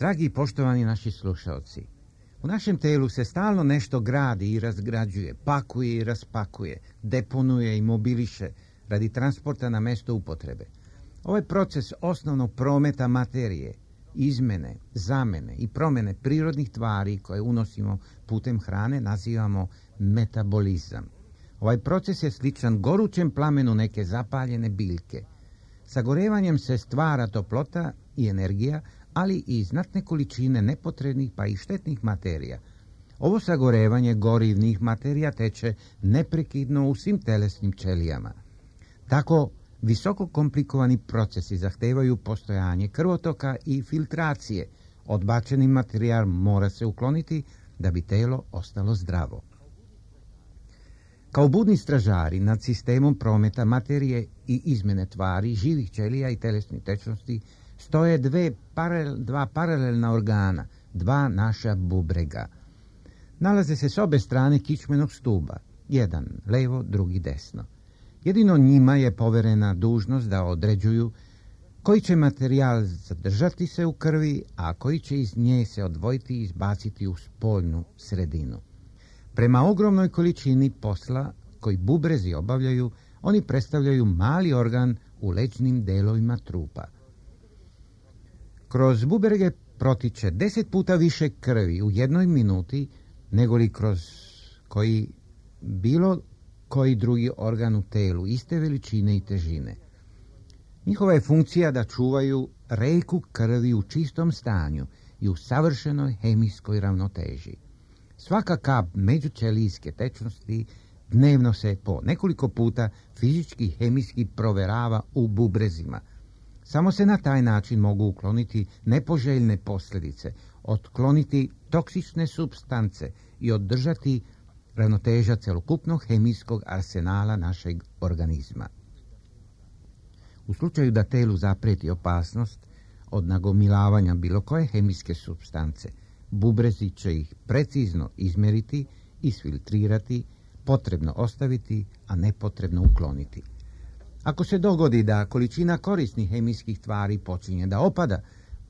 Dragi i poštovani naši slušalci, u našem telu se stalno nešto gradi i razgrađuje, pakuje i raspakuje, deponuje i mobiliše radi transporta na mesto upotrebe. Ovaj proces osnovnog prometa materije, izmene, zamene i promene prirodnih tvari koje unosimo putem hrane nazivamo metabolizam. Ovaj proces je sličan gorućem plamenu neke zapaljene biljke. Sagorevanjem se stvara toplota i energija, ali i znatne količine nepotrebnih pa i štetnih materija. Ovo sagorevanje gorivnih materija teče neprekidno u svim telesnim ćelijama. Tako visoko komplikovani procesi zahtevaju postojanje krvotoka i filtracije. Odbačeni materijal mora se ukloniti da bi telo ostalo zdravo. Kao budni stražari nad sistemom prometa materije i izmene tvari, živih ćelija i telesnih tečnosti stoje dva paralelna organa, dva naša bubrega. Nalaze se s obe strane kičmenog stuba, jedan levo, drugi desno. Jedino njima je poverena dužnost da određuju koji će materijal zadržati se u krvi, a koji će iz nje se odvojiti i izbaciti u spoljnu sredinu. Prema ogromnoj količini posla koji bubrezi obavljaju, oni predstavljaju mali organ u leđnim delovima trupa. Kroz bubrege protiče 10 puta više krvi u jednoj minuti nego li kroz bilo koji drugi organ u telu iste veličine i težine. Njihova je funkcija da čuvaju reku krvi u čistom stanju i u savršenoj hemijskoj ravnoteži. Svaka kap međućelijske tečnosti dnevno se po nekoliko puta fizički i hemijski proverava u bubrezima. Samo se na taj način mogu ukloniti nepoželjne posljedice, otkloniti toksične supstance i održati ravnoteža celokupnog hemijskog arsenala našeg organizma. U slučaju da telu zaprijeti opasnost od nagomilavanja bilo koje hemijske supstance, bubrezi će ih precizno izmjeriti, isfiltrirati, potrebno ostaviti, a nepotrebno ukloniti. Ako se dogodi da količina korisnih hemijskih tvari počinje da opada,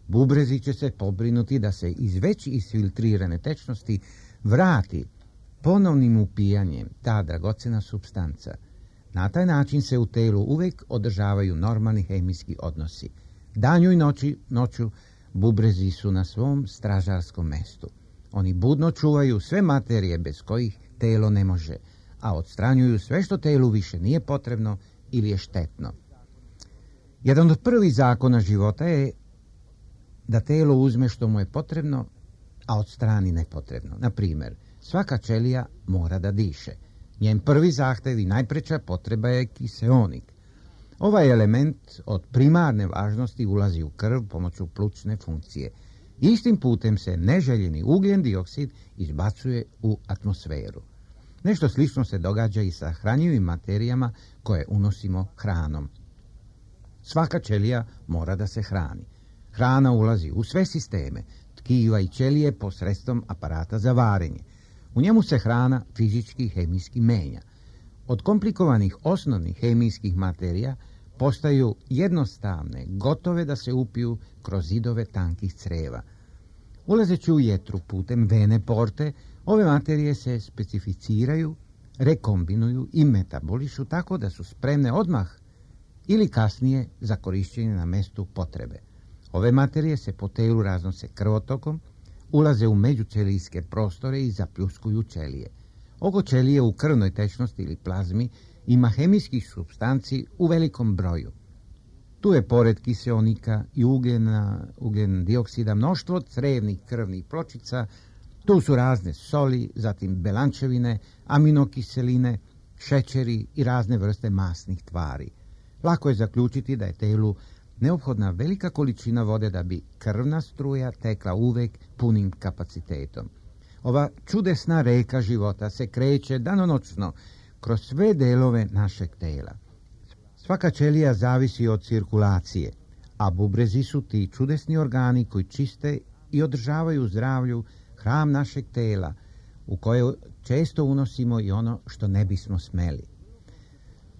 bubrezi će se pobrinuti da se iz već isfiltrirane tečnosti vrati ponovnim upijanjem ta dragocena supstanca. Na taj način se u telu uvijek održavaju normalni hemijski odnosi. Danju i noću bubrezi su na svom stražarskom mestu. Oni budno čuvaju sve materije bez kojih telo ne može, a odstranjuju sve što telu više nije potrebno ili je štetno. Jedan od prvih zakona života je da telo uzme što mu je potrebno, a odstrani nepotrebno. Na primjer, svaka ćelija mora da diše. Njen prvi zahtev i najpreča potreba je kiseonik. Ovaj element od primarne važnosti ulazi u krv pomoću plućne funkcije. Istim putem se neželjeni ugljen dioksid izbacuje u atmosferu. Nešto slično se događa i sa hranjivim materijama koje unosimo hranom. Svaka ćelija mora da se hrani. Hrana ulazi u sve sisteme, tkiva i ćelije posredstvom aparata za varenje. U njemu se hrana fizički i hemijski menja. Od komplikovanih osnovnih hemijskih materija postaju jednostavne, gotove da se upiju kroz zidove tankih creva. Ulazeći u jetru putem vene porte, ove materije se specificiraju, rekombinuju i metabolišu tako da su spremne odmah ili kasnije za korišćenje na mestu potrebe. Ove materije se po telu raznose krvotokom, ulaze u međućelijske prostore i zapljuskuju ćelije. Oko ćelije u krvnoj tečnosti ili plazmi ima hemijskih supstanci u velikom broju. Tu je pored kiseonika i ugljen dioksida mnoštvo crevnih krvnih pločica, tu su razne soli, zatim belančevine, aminokiseline, šećeri i razne vrste masnih tvari. Lako je zaključiti da je telu neophodna velika količina vode da bi krvna struja tekla uvek punim kapacitetom. Ova čudesna reka života se kreće danonoćno kroz sve delove našeg tela. Svaka ćelija zavisi od cirkulacije, a bubrezi su ti čudesni organi koji čiste i održavaju zdravlju hram našeg tela, u koje često unosimo i ono što ne bismo smeli.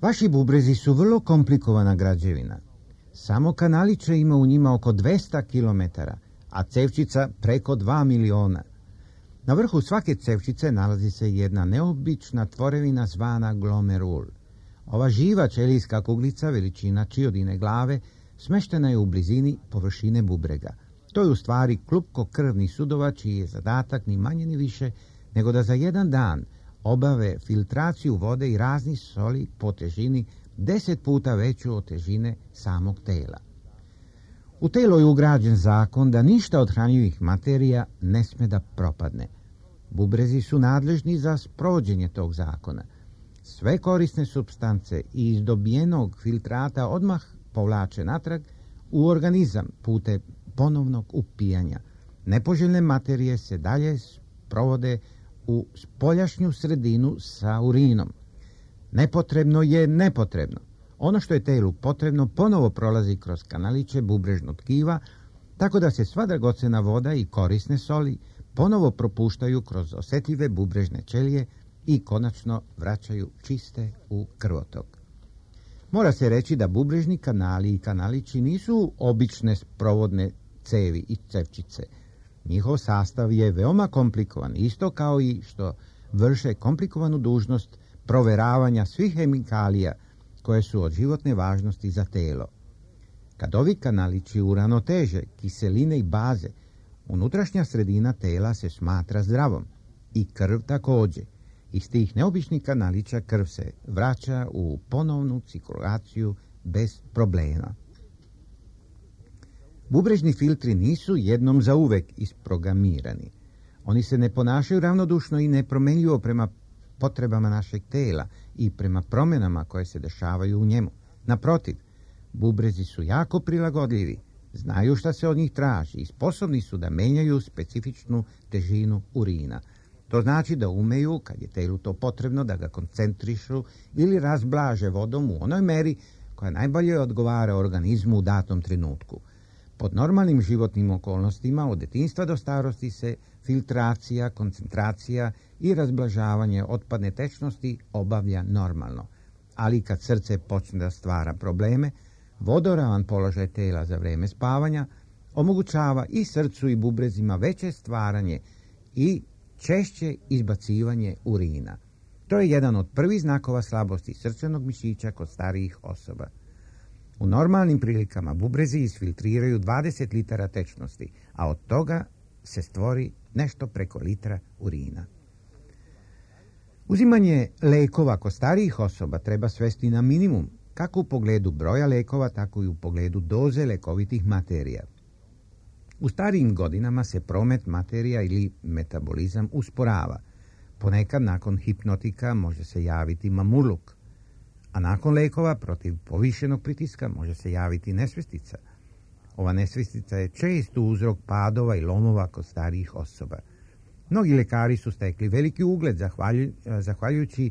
Vaši bubrezi su vrlo komplikovana građevina. Samo kanaliče ima u njima oko 200 km, a cevčica preko 2 miliona. Na vrhu svake cevčice nalazi se jedna neobična tvorevina zvana glomerul. Ova živa ćelijska kuglica veličina čiodine glave smeštena je u blizini površine bubrega. To je u stvari klupko krvnih sudova čiji je zadatak ni manje ni više nego da za jedan dan obave filtraciju vode i raznih soli po težini 10 puta veću od težine samog tela. U telo je ugrađen zakon da ništa od hranjivih materija ne sme da propadne. Bubrezi su nadležni za sprovođenje tog zakona. Sve korisne supstance iz dobijenog filtrata odmah povlače natrag u organizam putem ponovnog upijanja. Nepoželjne materije se dalje sprovode u spoljašnju sredinu sa urinom. Nepotrebno je nepotrebno. Ono što je telu potrebno ponovo prolazi kroz kanaliće bubrežnog tkiva, tako da se sva dragocena voda i korisne soli ponovo propuštaju kroz osjetljive bubrežne ćelije i konačno vraćaju čiste u krvotok. Mora se reći da bubrežni kanali i kanalići nisu obične sprovodne cevi i cevčice. Njihov sastav je veoma komplikovan, isto kao i što vrše komplikovanu dužnost proveravanja svih hemikalija koje su od životne važnosti za telo. Kad ovi kanalići uravnoteže kiseline i baze, unutrašnja sredina tela se smatra zdravom i krv također. Iz tih neobičnih kanalića krv se vraća u ponovnu cirkulaciju bez problema. Bubrežni filtri nisu jednom zauvek isprogramirani. Oni se ne ponašaju ravnodušno i nepromenljivo prema potrebama našeg tela i prema promjenama koje se dešavaju u njemu. Naprotiv, bubrezi su jako prilagodljivi, znaju šta se od njih traži i sposobni su da menjaju specifičnu težinu urina. To znači da umeju, kad je telu to potrebno, da ga koncentrišu ili razblaže vodom u onoj meri koja najbolje odgovara organizmu u datom trenutku. Pod normalnim životnim okolnostima od detinjstva do starosti se filtracija, koncentracija i razblažavanje otpadne tečnosti obavlja normalno. Ali kad srce počne da stvara probleme, vodoravan položaj tela za vreme spavanja omogućava i srcu i bubrezima veće stvaranje i češće izbacivanje urina. To je jedan od prvih znakova slabosti srčanog mišića kod starijih osoba. U normalnim prilikama bubrezi isfiltriraju 20 litara tečnosti, a od toga se stvori nešto preko litra urina. Uzimanje lekova kod starijih osoba treba svesti na minimum, kako u pogledu broja lekova, tako i u pogledu doze lekovitih materija. U starijim godinama se promet materija ili metabolizam usporava. Ponekad nakon hipnotika može se javiti mamurluk, a nakon lekova protiv povišenog pritiska može se javiti nesvestica. Ova nesvestica je često uzrok padova i lomova kod starijih osoba. Mnogi lekari su stekli veliki ugled zahvaljujući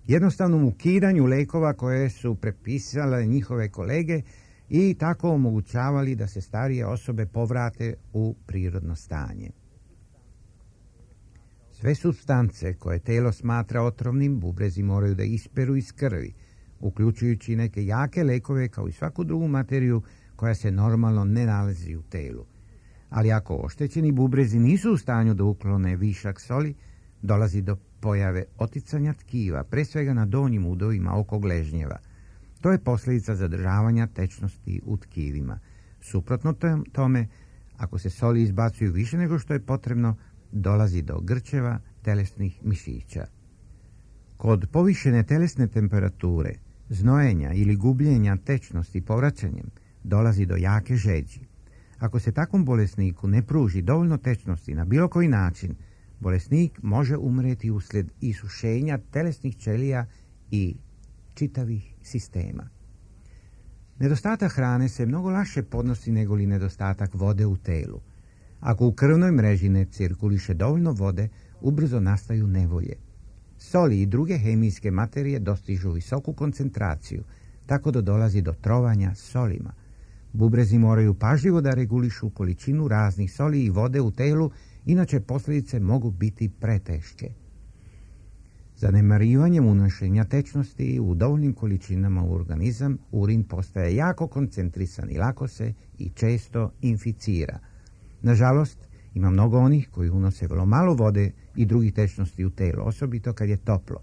jednostavnom ukidanju lekova koje su prepisale njihove kolege i tako omogućavali da se starije osobe povrate u prirodno stanje. Sve supstance koje telo smatra otrovnim bubrezi moraju da isperu iz krvi, uključujući neke jake lekove kao i svaku drugu materiju koja se normalno ne nalazi u telu. Ali ako oštećeni bubrezi nisu u stanju da uklone višak soli, dolazi do pojave oticanja tkiva, pre svega na donjim udovima oko gležnjeva. To je posljedica zadržavanja tečnosti u tkivima. Suprotno tome, ako se soli izbacuju više nego što je potrebno, dolazi do grčeva telesnih mišića. Kod povišene telesne temperature, znojenja ili gubljenja tečnosti povraćanjem, dolazi do jake žeđi. Ako se takvom bolesniku ne pruži dovoljno tečnosti na bilo koji način, bolesnik može umreti uslijed isušenja telesnih ćelija i čitavih sistema. Nedostatak hrane se mnogo lakše podnosi nego li nedostatak vode u telu. Ako u krvnoj mreži ne cirkuliše dovoljno vode, ubrzo nastaju nevolje. Soli i druge hemijske materije dostižu visoku koncentraciju, tako da dolazi do trovanja solima. Bubrezi moraju pažljivo da regulišu količinu raznih soli i vode u telu, inače posljedice mogu biti preteške. Zanemarivanjem unošenja tečnosti u dovoljnim količinama u organizam, urin postaje jako koncentrisan i lako se i često inficira. Nažalost, ima mnogo onih koji unose vrlo malo vode i drugih tečnosti u telo, osobito kad je toplo.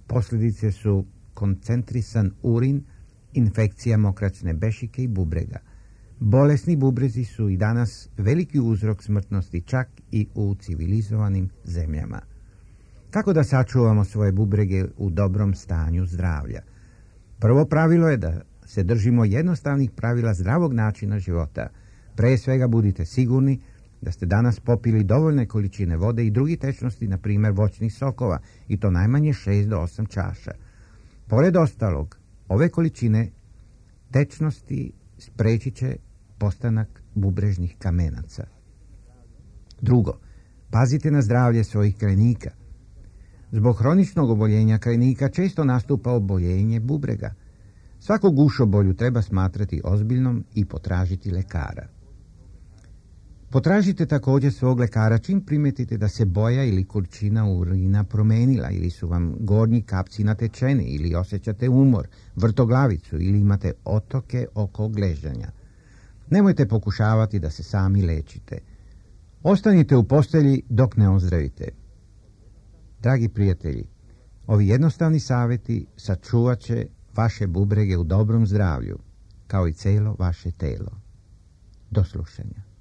Posljedice su koncentrisan urin, infekcija mokraćne bešike i bubrega. Bolesni bubrezi su i danas veliki uzrok smrtnosti čak i u civilizovanim zemljama. Kako da sačuvamo svoje bubrege u dobrom stanju zdravlja? Prvo pravilo je da se držimo jednostavnih pravila zdravog načina života. Pre svega budite sigurni da ste danas popili dovoljne količine vode i drugih tečnosti, na primjer voćnih sokova, i to najmanje 6 do 8 čaša. Pored ostalog, ove količine tečnosti spriječit će postanak bubrežnih kamenaca. Drugo, pazite na zdravlje svojih krajnika. Zbog hroničnog oboljenja krajnika često nastupa oboljenje bubrega. Svaku gušobolju treba smatrati ozbiljnom i potražiti lekara. Potražite također svog lekara čim primetite da se boja ili količina urina promenila, ili su vam gornji kapci natečeni, ili osjećate umor, vrtoglavicu ili imate otoke oko gležnja. Nemojte pokušavati da se sami lečite. Ostanite u postelji dok ne ozdravite. Dragi prijatelji, ovi jednostavni savjeti sačuvat će vaše bubrege u dobrom zdravlju, kao i celo vaše telo. Do slušanja.